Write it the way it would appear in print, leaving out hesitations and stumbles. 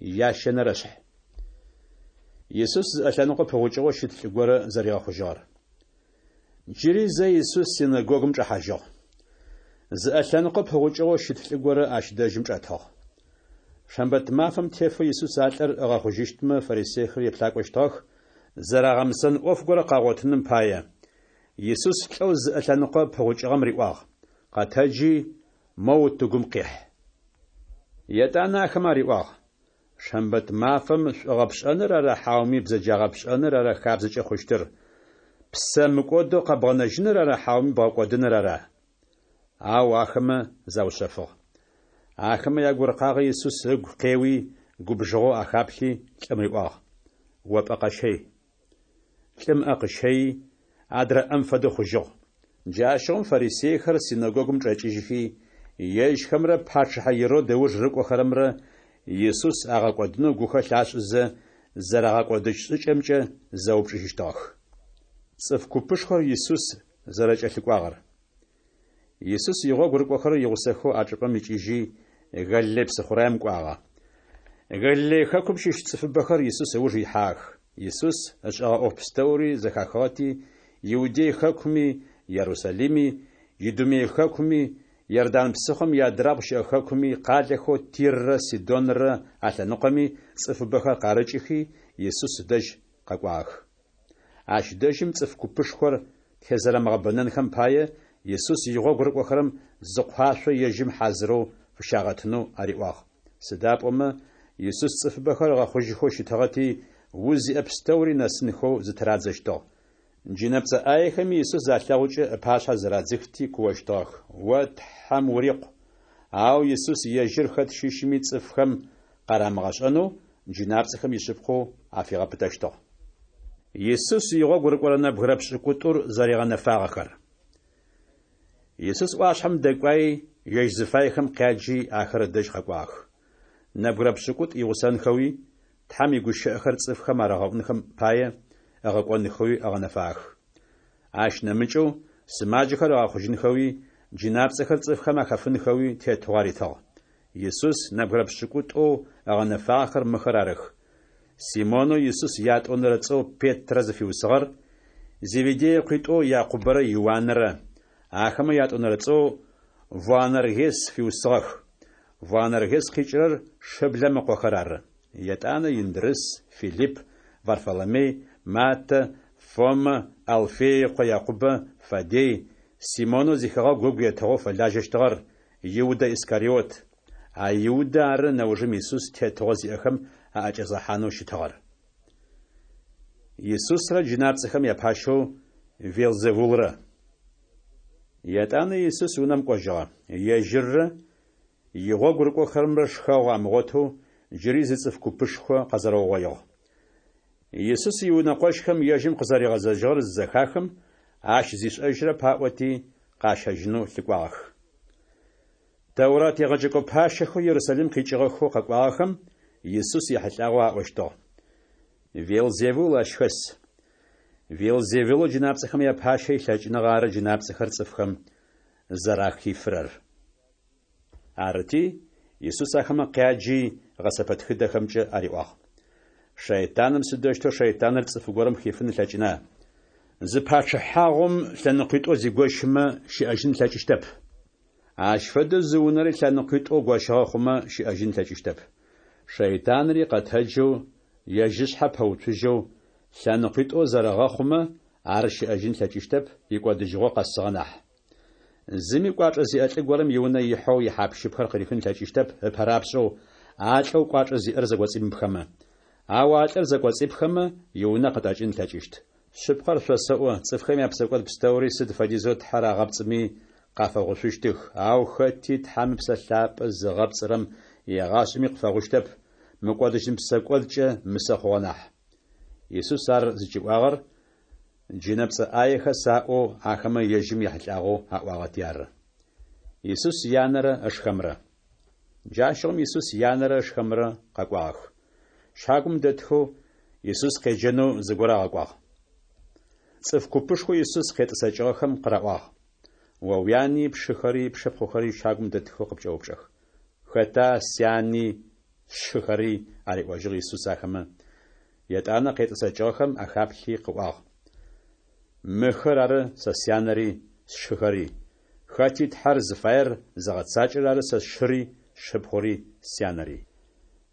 Ящэнэрэшъхь. Исус зыӏэ лъэныкъо пыгъукӏыгъэу щыт лӏы горэ зэригъэхъужьыгъэр. Джыри зэ Исус синэгогум чӏэхьажьыгъ. Зыӏэ лъэныкъо пыгъукӏыгъэу щыт лӏы горэ ащ дэжьым чӏэтыгъ. Шэмбэт мафэм тефэу Исус а лӏыр ыгъэхъужьыщтмэ фарисейхэр еплъакӏощтыгъэх, зэрагъэмысэн ӏоф горэ къагъотыным пае. Исус лӏэу зыӏэ лъэныкъо пыгъукӏыгъэм риӏуагъ: Къэтэджи, моу утыгум къихь. Етӏанэ ахэм ариӏуагъ: Шэмбэт мафэм шӏугъэ пшӏэныр ара хьауми бзэджагъэ пшӏэныр ара хабзэкӏэ хъущтыр? Псэ мыкӏодэу къэбгъэнэжьыныр ара хьауми бгъэкӏодыныр ара? Ау ахэмэ заушъэфыгъ. Ахэмэ ягуркъагъэ Исус ыгу къеуи, губжыгъэу ахаплъи, лӏым риӏуагъ: О пӏэ къэщэй. Лӏым ыӏэ къыщэйи, адрэ ӏэм фэдэу хъужьыгъ. Джащыгъум фарисейхэр синэгогум чӏэкӏыжьхи, ежьхэмрэ пачъыхьэ Ирод ыуж рыкӏохэрэмрэ Исус агъэкӏодынэу гухэлъ ашӏызэ, зэрагъэкӏодыщт шӏыкӏэмкӏэ зэупчӏыжьыщтыгъэх. Цӏыф купышхор Исус зэрэкӏэлъыкӏуагъэр. Исус игъогу рыкӏохэрэр игъусэхэу а чӏыпӏэм икӏыжьи, Галилей псыхъураем кӏуагъэ. Галилей хэкум щыщ цӏыфыбэхэр Исус ыуж ихьагъэх. Исус ышӏэгъэ ӏоф пстэури зэхахыгъэти, Иудей хэкуми, Ерусалими, Идумей хэкуми, Иордан псыхъом иадрабгъу щыӏэ хэкуми, къалэхэу Тиррэ Сидонрэ алъэныкъоми цӏыфыбэхэр къарыкӏыхи, Исус ыдэжь къэкӏуагъэх. Ащ дэжьым цӏыф купышхор тезэрэмыгъэбэнэнхэм пае, Исус игъогу рыкӏохэрэм зы къуашъо ежьым хьазырэу фыщагъэтынэу ариӏуагъ. Сыда пӏомэ Исус цӏыфыбэхэр ыгъэхъужьыхэу щытыгъэти, уз зиӏэ пстэури нэсынхэу зытырадзэщтыгъ. Джынэпцӏэ ӏаехэми Исус залъэгъукӏэ ыпашъхьэ зырадзыхти куощтыгъэх: О Тхьэм урикъу! Ау Исус ежьыр хэт щыщми цӏыфхэм къарамыгъэшӏэнэу джынапцӏэхэм ишъыпкъэу афигъэпытэщтыгъ. Исус игъогу рыкӏорэ нэбгырэ пшӏыкӏутӏур зэригъэнэфагъэхэр. Исус ӏуашъхьэм дэкӏуаи, ежь зыфаехэм къяджи, ахэр ыдэжь къэкӏуагъэх. Нэбгырэ пшӏыкӏутӏу игъусэнхэуи, Тхьэм игущыӏэхэр цӏыфхэм арагъэӏунхэм пае, ыгъэкӏонхэуи ыгъэнэфагъэх. Ащ нэмыкӏэу, сымаджэхэр ыгъэхъужьынхэуи, джынапцӏэхэр цӏыфхэм ахэфынхэуи тетыгъо аритыгъ. Исус нэбгырэ пшӏыкӏутӏоу ыгъэнэфагъэхэр мыхэр арых: Симонэу Исус ятӏонэрэ цӏэу Петрэ зыфиусыгъэр, Зеведей ыкъуитӏоу Якъубэрэ Иуанрэ, ахэмэ ятӏонэрэ цӏэу Воанергес фиусыгъэх, Воанергес къикӏырэр шыблэм ыкъохэр ары. Етӏанэ Индрыс, Филипп, Варфоломей, Маттэ, Фомэ, Алфей ыкъо Якъубэ, Фаддей, Симонэу зихэгъэгу ыгу етыгъэу фэлажьэщтыгъэр, Иудэ Искариот. А Иудэ ары нэужым Исус тетыгъо зиӏэхэм аӏэкӏэзгъэхьанэу щытыгъэр. Исусрэ джынапцӏэхэм япащэу Велзевулрэ. Етӏанэ Исус унэм кӏожьыгъэ. Ежьыррэ игъогу рыкӏохэрэмрэ шхэгъу амыгъотэу джыри зы цӏыф купышхо къэзэрэугъоигъ. Исус иунэкъощхэм ежьым къызэригъэзэжьыгъэр зызэхахым, ащ зишӏэжьырэп аӏоти, къащэжьынэу лъыкӏуагъэх. Тэурат егъэджэкӏо пащэхэу Ерусалим къикӏыгъэхэу къэкӏуагъэхэм Исус ехьылӏагъэу аӏощтыгъ: Велзевул ащ хэс. Велзевулэу джынапцӏэхэм япащэ илъэкӏыныгъэ ары джынапцӏэхэр цӏыфхэм зэрахифырэр. Арыти, Исус ахэмэ къяджи, гъэсэпэтхыдэхэмкӏэ ариӏуагъ: Шэйтаным сыдэущтэу шэйтаныр цӏыф горэм хифын ылъэкӏына? Зы пачъыхьагъум лъэныкъуитӏоу зигощымэ, щыӏэжьын ылъэкӏыщтэп. Ащ фэдэу зы унэри лъэныкъуитӏоу гощыгъэ хъумэ, щыӏэжьын ылъэкӏыщтэп. Шэйтанри къэтэджэу, ежь ышъхьэ пэуцужьэу, лъэныкъуитӏоу зэрэгъэхъумэ, ар щыӏэжьын ылъэкӏыщтэп, икӏодыжьыгъо къэсыгъэ нахь. Зыми кӏуачӏэ зиӏэ лӏы горэм иунэ ихьэу ихьап-щыпхэр къырихын ылъэкӏыщтэп ыпэрапшӏэу а лӏэу кӏуачӏэ зиӏэр зэкӏоцӏимыпхэмэ. Ау а лӏыр зэкӏоцӏипхэмэ, иунэ къытӏэкӏын ылъэкӏыщт. Шъыпкъэр шъосэӏо, цӏыфхэм япсэкӏод пстэури сыд фэдизэу Тхьэр агъэпцӏыми къафэгъушъущтых, ау хэти Тхьэм Ыпсэ Лъапӏэ зыгъэпцӏырэм егъашӏэми къыфэгъущтэп, мыкӏодыжьын псэкӏодкӏэ мысэ хъугъэ нахь. Исус ар зыкӏиӏуагъэр джынэпцӏэ ӏаехэс аӏоу ахэмэ ежьым ехьылӏагъэу аӏуагъэти ары. Исус янэрэ ышхэмрэ. Джащыгъум Исус янэрэ ышхэмрэ къэкӏуагъэх. Щагум дэтхэу Исус къеджэнэу зыгорэ агъэкӏуагъ. Цӏыф купышхоу Исус къетӏысэкӏыгъэхэм къыраӏуагъ: О уяни, пшыхэри, пшыпхъухэри щагум дэтхэу къыпкӏэупчӏэх. Хэта сяни, сшыхэри, ариӏожьыгъ Исус ахэмэ. Етӏанэ къетӏысэкӏыгъэхэм ахаплъи къыӏуагъ, Мыхэр ары сэ сянэри, сшыхэри. Хэти Тхьэр зыфаер зыгъэцакӏэрэр ары сэ сшыри, сшыпхъури, сянэри.